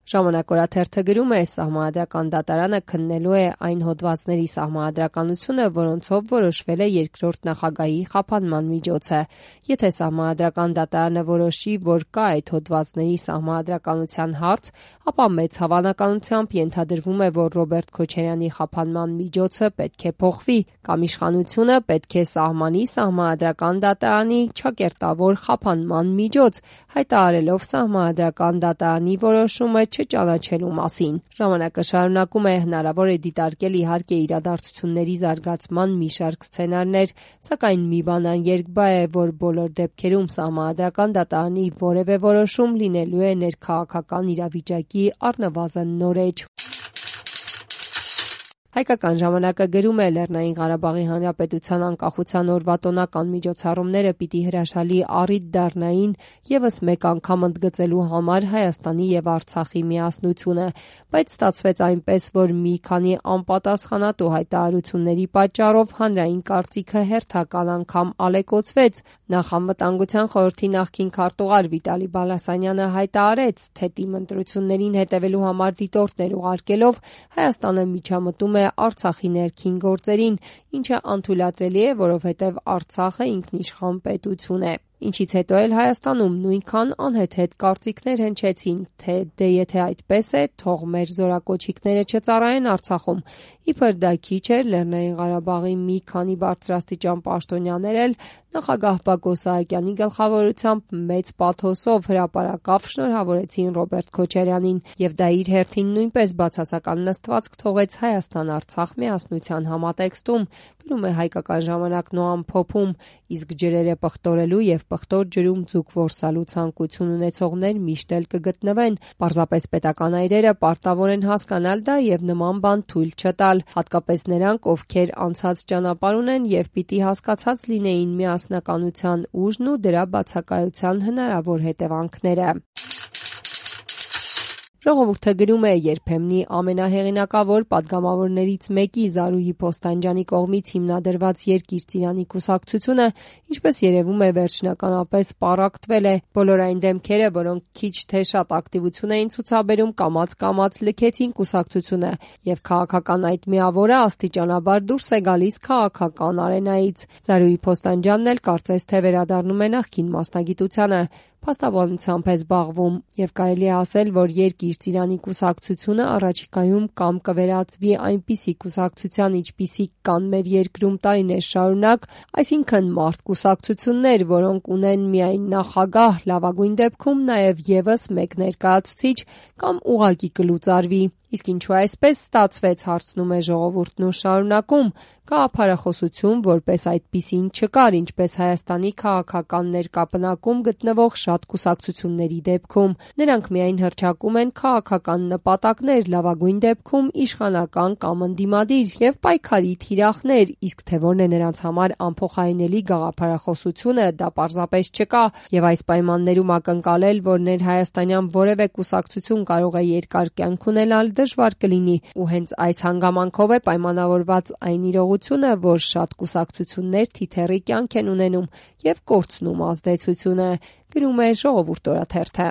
Ժամանակ օրաթերթը գրում է, Սահմանադրական դատարանը քննելու է այն հոդվածների սահմանադրականությունը, որոնցով որոշվել է երկրորդ նախագահի խափանման միջոցը։ Եթե Սահմանադրական դատարանը որոշի, որ կա այդ հոդվածների սահմանադրականության հարց, ապա մեծ հավանականությամբ ենթադրվում է, որ Ռոբերտ Քոչարյանի խափանման միջոցը պետք է փոխվի, կամ իշխանությունը պետք է սահմանի Սահմանադրական դատարանի ճակերտավոր խափանման միջոց, հայտարարելով Սահմանադրական դատարանի որոշումը չճանաչելու մասին։ Ժամանակը շարունակում է, հնարավոր է դիտարկել իհարկե իրադարձությունների զարգացման մի շարք սցենարներ, սակայն մի բան աներկբա է, որ բոլոր դեպքերում Սահմանադրական դատարանի որևէ որոշում լինելու է ներքաղաքական իրավիճակի առնվազն նոր էջ։ Հայկական ժամանակը գրում է, Լեռնային Ղարաբաղի Հանրապետության անկախության օրվա տոնական միջոցառումները պիտի հրաշալի առիթ դառնային ևս մեկ անգամ ընդգծելու համար Հայաստանի և Արցախի միասնությունը, բայց ստացվեց այնպես, որ մի քանի անպատասխանատու հայտարարությունների պատճառով հանրային կարծիքը հերթական անգամ ալեկոծվեց։ Նախ Անվտանգության խորհրդի նախկին քարտուղար Վիտալի Բալասանյանը հայտարարեց, թե ՏԻՄ ընտրություններին հետևելու համար դիտորդներ ուղարկելով Հայաստանը միջամտում է Արցախի ներքին գործերին, ինչը անթույլատրելի է, որովհետև Արցախը ինքնիշխան պետություն է։ Ինչից հետո էլ Հայաստանում նույնքան անհեթեթ կարծիքներ հնչեցին, թե դե եթե այդպես է, թող մեր զորակոչիկները չծառայեն Արցախում։ Իբր դա քիչ էր, Լեռնային Ղարաբաղի մի քանի բարձրաստիճան պաշտոնյաներ էլ նախագահ Բակո Սահակյանի գլխավորությամբ մեծ պաթոսով հրապարակավ շնորհավորեցին Ռոբերտ Քոչարյանին, եւ դա իր հերթին նույնպես բացասական նստվածք թողեց Հայաստան-Արցախ միասնության համատեքստում, գրում է Հայկական ժամանակն ու ամփոփում, իսկ ջրերը պղտորելու եւ պղտոր ջրում ձուկ որսալու ցանկություն ունեցողներ միշտ էլ կգտնվեն։ Պարզապես պետական այրերը պարտավոր են հասկանալ դա եւ նման բան թույլ չտալ, հատկապես նրանք, ովքեր անցած ճանապարհ ունեն եւ պիտի հասկացած լինեին միասնականության ուժն ու դրա բացակայության հնարավոր հետևանքները։ Ժողովուրդը գրում է, երբեմնի ամենահեղինակավոր պատգամավորներից մեկի Զարուհի Փոստանջյանի կողմից հիմնադրված Երկիր Ծիրանի կուսակցությունը, ինչպես երևում է, վերջնականապես պառակտվել է։ Բոլոր այն դեմքերը, որոնք քիչ թե շատ ակտիվություն էին ցուցաբերում, կամաց լքեցին կուսակցությունը, եւ քաղաքական այդ միավորը աստիճանաբար դուրս է գալիս քաղաքական արենայից։ Զարուհի Փոստանջյանն էլ կարծես թե վերադառնում է նախկին մասնագիտությանը, փաստաբանությամբ է զբաղվում, եւ կարելի է ասել, որ Երկիր Ծիրանի կուսակցությունը առաջիկայում կամ կվերածվի այնպիսի կուսակցության, ինչպիսիք կան մեր երկրում տարիներ շարունակ, այսինքն մարդ կուսակցություններ, որոնք ունեն միայն նախագահ, լավագույն դեպքում նաեւ եւս մեկ ներկայացուցիչ, կամ ուղղակի կլուծարվի։ Իսկ ինչու այսպես ստացվեց, հարցնում է ժողովուրդն ու շարունակում, գաղափարախոսություն որպես այդպիսին չկար, ինչպես Հայաստանի քաղաքական ներկապնակում գտնվող շատ կուսակցությունների դեպքում։ Նրանք միայն հռչակում են քաղաքական նպատակներ, լավագույն դեպքում իշխանական կամ ընդդիմադիր եւ պայքարի թիրախներ, իսկ թե որն է նրանց համար անփոխարինելի գաղափարախոսությունը, դա պարզապես չկա, եւ այս պայմաններում ակնկալել, որ ներհայաստանյան որևէ կուսակցություն կարող է երկար կյանք ունենալ, դժվար կլինի, ու հենց այս հանգամանքով է պայմանավորված այն իրողությունը, որ շատ կուսակցություններ թիթեռի կյանք են ունենում եւ կորցնում ազդեցությունը, գրում է Ժողովուրդ օրաթերթը։